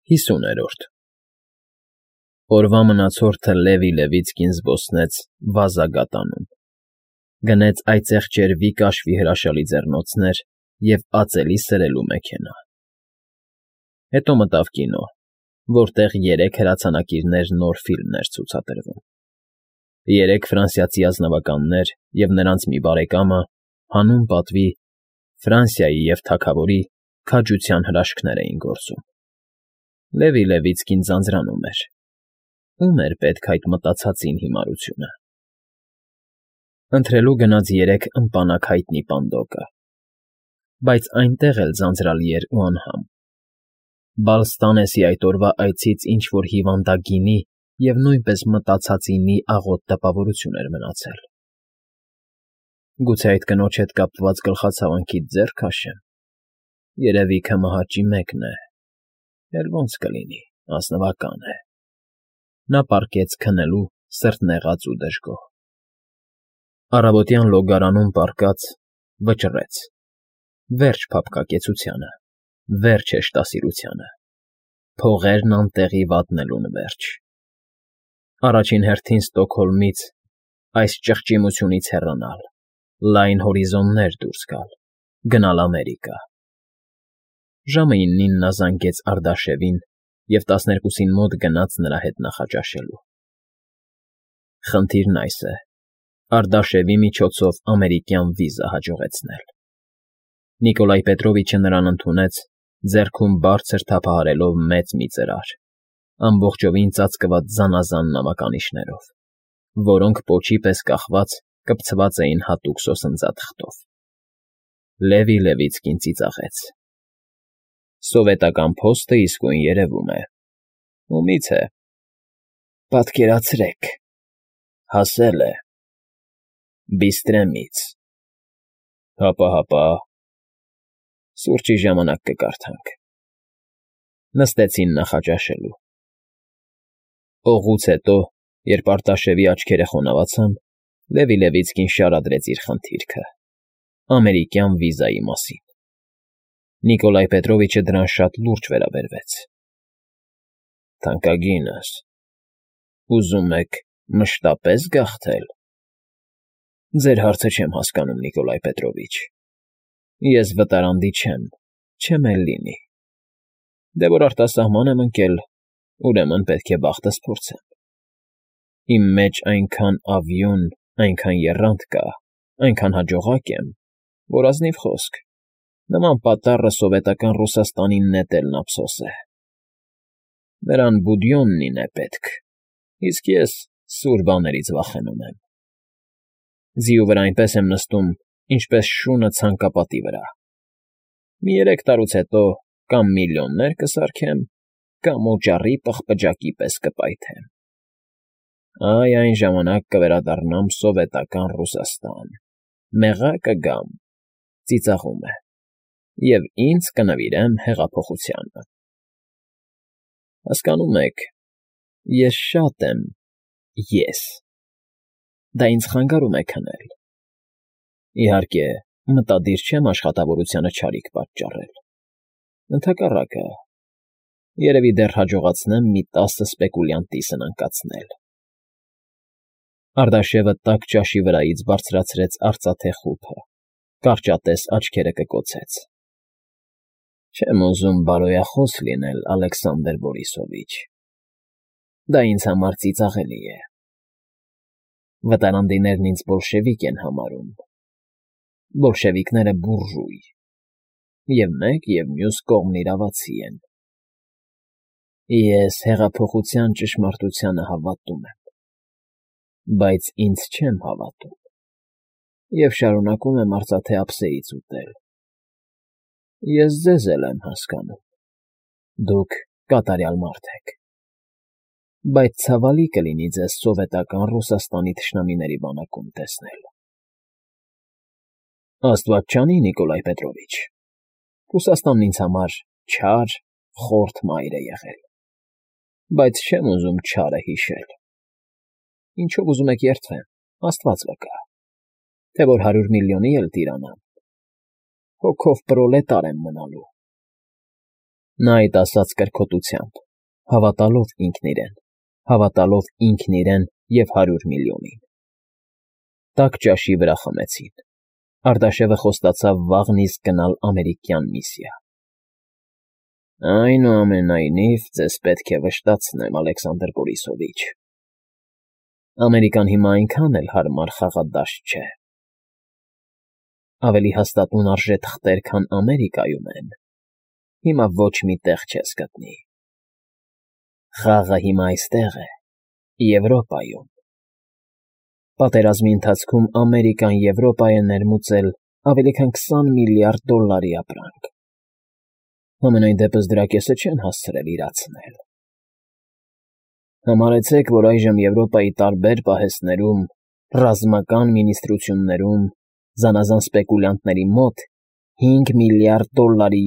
50-րդ Օրվա մնացորդը Լևի-Լևիցկին զբոսնեց վազագատանում, գնեց այծեղ ճերվի կաշվի հրաշալի ձեռնոցներ և ածելի սրելու մեքենա. հետո մտավ կինո, որտեղ 3 հրացանակիրներ նոր ֆիլմն էր ցուցադրվում. 3 ֆրանսիացի ազնվականներ և նրանց մի բարեկամը հանուն պատվի Ֆրանսիայի և թագավորի քաջության հրաշքներ էին գործում. Լևի-Լևիցկին ձանձրանում էր. ում էր պետք այդ մտածածին հիմարությունը. ընթրելու գնաց 3 ըմպանակ հայտնի պանդոկը, բայց այնտեղ էլ ձանձրալի էր ու անհամ. Բալստանեսի այդ օրվա այցից ինչ֊որ հիվանդագինի և նույնպես մտածածինի աղոտ տպավորություն էր մնացել. գուցե այդ կնոջ հետ կապված գլխացավանքիդ ձեռ քաշեմ, երևի քմահաճի մեկն է, էլ ոնց կլինի, ազնվական է, նա պառկեց քնելու, սրտնեղած ու դժգոհ. առավոտյան լոգարանում պառկած, վճռեց. վերջ փափկակեցությանը, վերջ հեշտասիրությանը, փողերն անտեղի վատնելուն վերջ. առաջին հերթին Ստոկհոլմից, այս ճղճիմությունից հեռանալ, լայն հորիզոններ դուրս գալ, գնալ Ամերիկա. ժամը 9-ին նա զանգեց Արդաշևին և 12-ին մոտ գնաց նրա հետ նախաճաշելու. խնդիրն այս է. Արդաշևի միջոցով ամերիկյան վիզա հաջողեցնել. Նիկոլայ Պետրովիչը նրան ընդունեց, ձեռքում բարձր թափահարելով մեծ մի ծրար, ամբողջովին ծածկված զանազան նամականիշներով, որոնք պոչի պես կախված կպցված էին հատուկ սոսնձաթղթով. Լևի-Լևիցկին ծիծաղեց. սովետական փոստը իսկույն երևում է, ումի՞ց է, պատկերացրեք, հասել է, Բիստրեմից, հապա, սուրճի ժամանակ կկարդանք, նստեցին նախաճաշելու. օղուց հետո, երբ Արտաշևի աչքերը խոնավացան, Լևի-Լևիցկին շարադրեց իր խնդիրքը, ամերիկյան վիզայի մասին. Նիկոլայ Պետրովիչը դրան շատ լուրջ վերաբերվեց. թանկագինս, ուզում եք մշտապես գաղթել, ձեր հարցը չեմ հասկանում, Նիկոլայ Պետրովիչ, ես վտարանդի չեմ էլ լինի, դե որ արտասահման եմ ընկել, ուրեմն պետք է բախտս փորձեմ, իմ մեջ այնքան ավյուն, այնքան եռանդ կա, այնքան հաջողակ եմ, որ ազնիվ խոսք, նման պատառը սովետական Ռուսաստանին նետելն ափսոս է, նրան Բուդյոննին է պետք, իսկ ես սուր բաներից վախենում եմ, ձիու վրա այնպես եմ նստում, ինչպես շունը ցանկապատի վրա, մի 3 տարուց հետո կամ միլիոններ կսարքեմ, կամ օճառի պղպջակի պես կպայթեմ, այ այն ժամանակ կվերադառնամ սովետական Ռուսաստան, մեղա կգամ, ծիծաղում է, և ինձ կնվիրեմ հեղափոխությանը, հասկանում եք, ես շատ եմ, դա ինձ խանգարում է քնել, իհարկե, մտադիր չեմ աշխատավորությանը չարիք պատճառել, ընդհակառակը, երևի դեռ հաջողացնեմ մի 10 սպեկուլյանտի սնանկացնել. Արդաշևը տաք ճաշի վրայից բարձրացրեց արծաթե խուփը, կարճատես աչքերը կկոցեց. չեմ ուզում բարոյախոս լինել, Ալեքսանդր Բորիսովիչ, դա ինձ համար ծիծաղելի է, վտարանդիներն ինձ բոլշևիկ են համարում, բոլշևիկները բուրժուй, և մեկ և մյուս կողմն իրավացի են, ես հեղափոխության ճշմարտությանը հավատում եմ, բայց ինձ չեմ հավատում և շարունակում եմ արծաթե ափսեից ուտել, ես ձեզ էլ եմ հասկանում, դուք կատարյալ մարդ եք, բայց ցավալի կլինի ձեզ սովետական Ռուսաստանի թշնամիների բանակում տեսնել, աստված չանի, Նիկոլայ Պետրովիչ, Ռուսաստանն ինձ համար չար, խորթ մայր է եղել, բայց չեմ ուզում չարը հիշել, ինչով ուզում եք երդվեմ, աստված վկա, թե որ 100 միլիոնի էլ տիրանամ, հոգով պրոլետար եմ մնալու, Նա այդ ասաց կրքոտությամբ, հավատալով ինքն իրեն և 100 միլիոնին։ Տաք ճաշի վրա խմեցին։ Արտաշևը խոստացավ վաղն իսկ գնալ ամերիկյան միսիա։ Այնուամենայնիվ, ձեզ պետք է վշտացնեմ, Ալեքսանդր Բորիսովիչ, Ամերիկան հիմա այնքան էլ հարմար խաղադաշտ չէ։ Ավելի հաստատուն արժե թղթեր, քան Ամերիկայում են, հիմա ոչ մի տեղ չես գտնի։ Խաղը հիմա այստեղ է, Եվրոպայում։ Պատերազմի ընթացքում Ամերիկան Եվրոպա է ներմուծել ավելի քան $20 միլիարդ ապրանք։ Համենայն դեպս դրա կեսը չեն հասցրել իրացնել։ Համարեցեք, որ այժմ Եվրոպայի տարբեր պահեստներում, ռազմական մինիստրություններում, զանազան սպեկուլյանտների մոտ $5 միլիարդ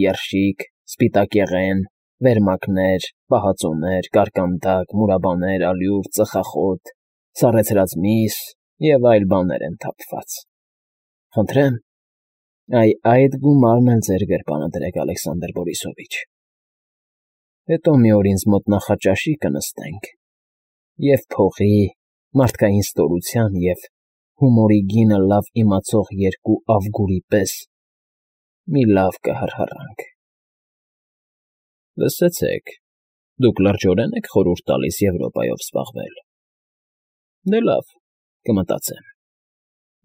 երշիկ, սպիտակեղեն, վերմակներ, պահածոներ, կարկանդակ, մուրաբաներ, ալյուր, ծխախոտ, սառեցրած միս և այլ բաներ են թափված։ Խնդրեմ, այդ գումարն էլ ձեր գրպանը դրեք, Ալեքսանդր Բորիսովիչ։ Հետո մի օր ինձ մոտ նախաճաշի կնստենք և փողի, մարդկային ստորության և հումորի գինը լավ իմացող երկու Ավգուրի պես մի լավ կհռհռանք։ Լսեցեք, դուք լրջորեն եք խորհուրդ տալիս Եվրոպայով զբաղվել։ Դե լավ, կմտածեմ։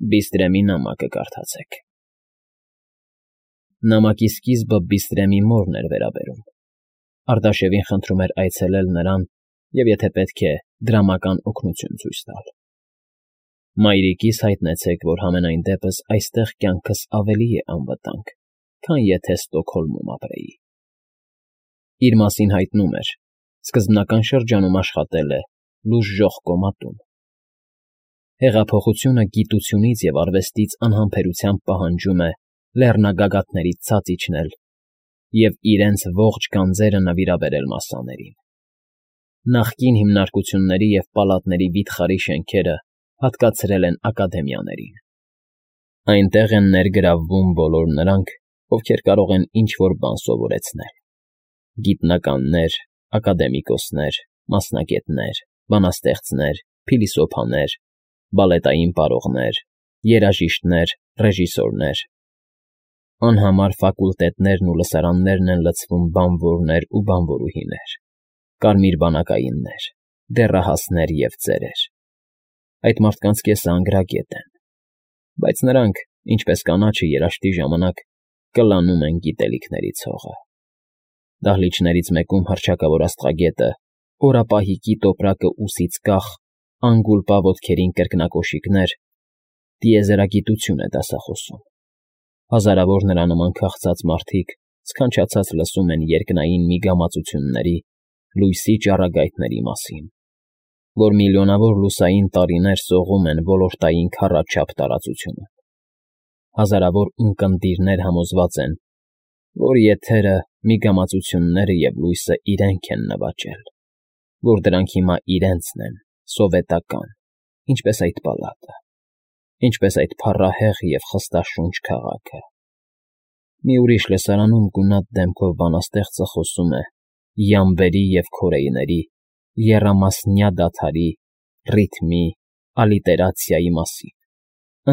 Բիստրեմի նամակը կարդացեք։ Նամակի սկիզբը Բիստրեմի մորն էր վերաբերում։ Արտաշևին խնդրում էր այցելել նրան և, եթե պետք է, դրամական օգնություն ցույց տալ։ Մայրիկիս հայտնեցեք, որ համենայն դեպս այստեղ կյանքս ավելի է անվտանգ, քան եթե Ստոկհոլմում ապրեի։ Իր մասին հայտնում էր. սկզբնական շրջանում աշխատել է լուժժող կոմատում։ Հեղափոխությունը գիտությունից և արվեստից անհամբերությամբ պահանջում է լեռնագագաթներից ցած իջնել և իրենց ողջ գանձերը նվիրաբերել մասսաներին։ Նախկին հիմնարկությունների և պալատների վիթխարի շենքերը հատկացրել են ակադեմիաներին։ Այնտեղ են ներգրավվում բոլոր նրանք, ովքեր կարող են ինչ-որ բան սովորեցնել. գիտնականներ, ակադեմիկոսներ, մասնագետներ, բանաստեղծներ, փիլիսոփաներ, բալետային պարողներ, երաժիշտներ, ռեժիսորներ։ Անհամար ֆակուլտետներն ու լսարաններն են լցվում բանվորներ ու բանվորուհիներ, կարմիր բանակայիններ, դեռահասներ և ծերեր։ Այդ մարդկանց կեսը անգրագետ են, բայց նրանք, ինչպես կանաչը երաշտի ժամանակ, կլանում են գիտելիքների ցողը։ Դահլիճներից մեկում հռչակավոր աստղագետը, օրապահիկի տոպրակը ուսից կախ, անգուլպա ոտքերին կրկնակոշիկներ, տիեզերագիտություն է դասախոսում։ Հազարավոր նրա նման քաղցած մարդիկ սքանչացած լսում են երկնային միգամածությունների, լույսի ճառագայթների մասին, որ միլիոնավոր լուսային տարիներ սողում են ոլորտային քառաչափ տարածությունում։ Հազարավոր ունկնդիրներ համոզված են, որ եթերը, միգամածությունները և լույսը իրենք են նվաճել, որ դրանք հիմա իրենցն են, սովետական, ինչպես այդ պալատը, ինչպես այդ փառահեղ և խստաշունչ քաղաքը։ Մի ուրիշ լսարանում գունատ դեմքով բանաստեղծը խոսում է յամբերի և քորեյների, եռամասնյա դադարի, ռիթմի, ալիտերացիայի մասին,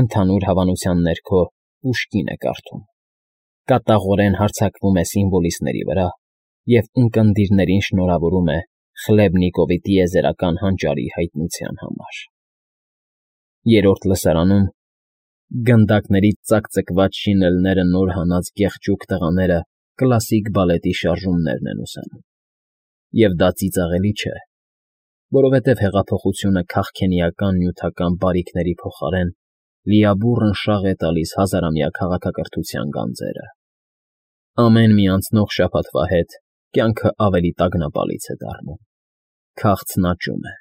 ընդհանուր հավանության ներքո Պուշկին է կարդում, կատաղորեն հարձակվում է սիմվոլիստների վրա և ունկնդիրներին շնորհավորում է Խլեբնիկովի տիեզերական հանճարի հայտնության համար։ Երրորդ լսարանում գնդակներից ծակծկված շինելները նոր հանած գեղջուկ տղաները կլասիկ բալետի շարժումներն են ուսանում։ Եվ դա ծիծաղելի չէ, որովհետև հեղափոխությունը քաղքենիական նյութական բարիքների փոխարեն լիաբուռն շաղ է տալիս հազարամյա քաղաքակրթության գանձերը։ Ամեն մի անցնող շաբաթվա հետ կյանքը ավելի տագնապալից է դառնում։ Քաղցն աճում է,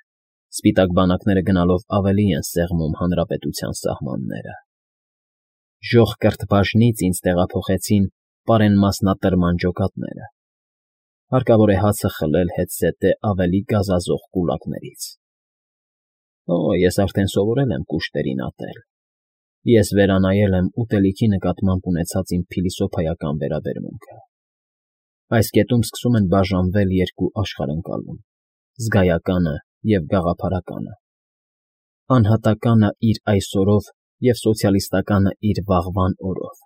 սպիտակ բանակները գնալով ավելի են սեղմում հանրապետության սահմանները։ Ժոխ կրթբաժնից ինձ տեղափոխեցին պարենմասնատրման ջոկատները։ Հարկավոր է հացը խլել հետզհետե ավելի գազազող կուլակներից։ Ես արդեն սովորել եմ կուշտերին ատել։ Ես վերանայել եմ ուտելիքի նկատմամբ ունեցած իմ փիլիսոփայական վերաբերմունքը։ Այս կետում սկսում են բաժանվել երկու աշխարհընկալում՝ զգայականը և գաղափարականը, անհատականը իր այսօրով և սոցիալիստականը իր վաղվան օրով։